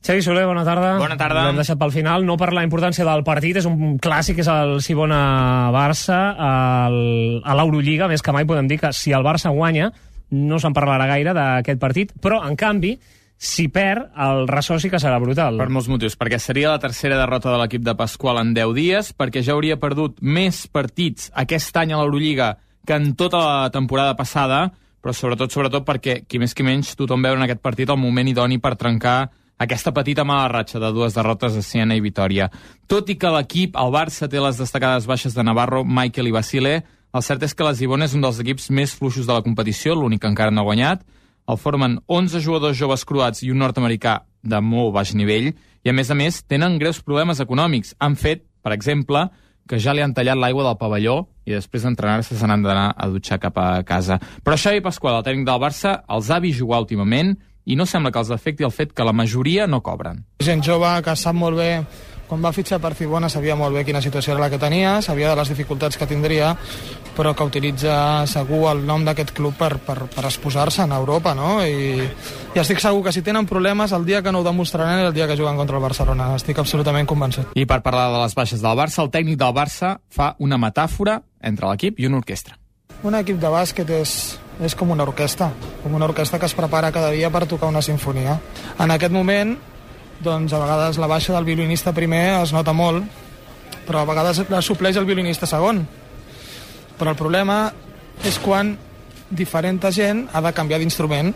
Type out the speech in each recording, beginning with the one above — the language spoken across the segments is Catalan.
Xavi Soler, bona tarda. Bona tarda. L'hem deixat pel final, no per la importància del partit, és un clàssic, és el Sibona-Barça a l'Eurolliga, més que mai podem dir que si el Barça guanya no se'n parlarà gaire d'aquest partit, però en canvi si perd, el ressò sí que serà brutal. Per molts motius, perquè seria la tercera derrota de l'equip de Pasqual en 10 dies, perquè ja hauria perdut més partits aquest any a l'Eurolliga que en tota la temporada passada, però sobretot perquè, qui més qui menys, tothom veu en aquest partit el moment idoni per trencar aquesta petita mala ratxa de 2 derrotes a Siena i Vitòria. Tot i que l'equip, el Barça, té les destacades baixes de Navarro, Michael i Basile, el cert és que la Sibona és un dels equips més fluixos de la competició, l'únic que encara no ha guanyat. El formen 11 jugadors joves croats i un nord-americà de molt baix nivell, i a més tenen greus problemes econòmics. Han fet, per exemple, que ja li han tallat l'aigua del pavelló i després d'entrenar-se se n'han d'anar a dutxar cap a casa. Però Xavi Pasqual, el tècnic del Barça, els ha vist jugar últimament i no sembla que els afecti el fet que la majoria no cobren. Gent jove que sap molt bé, quan va fitxar per Sibona sabia molt bé quina situació era la que tenia, sabia de les dificultats que tindria, però que utilitza segur el nom d'aquest club per exposar-se en Europa, no? I estic segur que si tenen problemes, el dia que no ho demostraran és el dia que juguen contra el Barcelona. Estic absolutament convençut. I per parlar de les baixes del Barça, el tècnic del Barça fa una metàfora entre l'equip i una orquestra. Un equip de bàsquet és com una orquestra que es prepara cada dia per tocar una sinfonia. En aquest moment, doncs a vegades la baixa del violinista primer es nota molt, però a vegades la supleix el violinista segon. Però el problema és quan diferent gent ha de canviar d'instrument,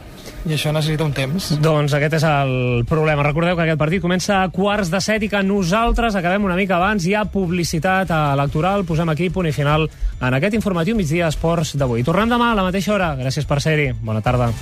i això necessita un temps. Doncs aquest és el problema. Recordeu que aquest partit comença a 6:45 i que nosaltres acabem una mica abans. Hi ha publicitat electoral. Posem aquí punt i final en aquest informatiu Migdia Esports d'avui. Tornem demà a la mateixa hora. Gràcies per ser-hi. Bona tarda.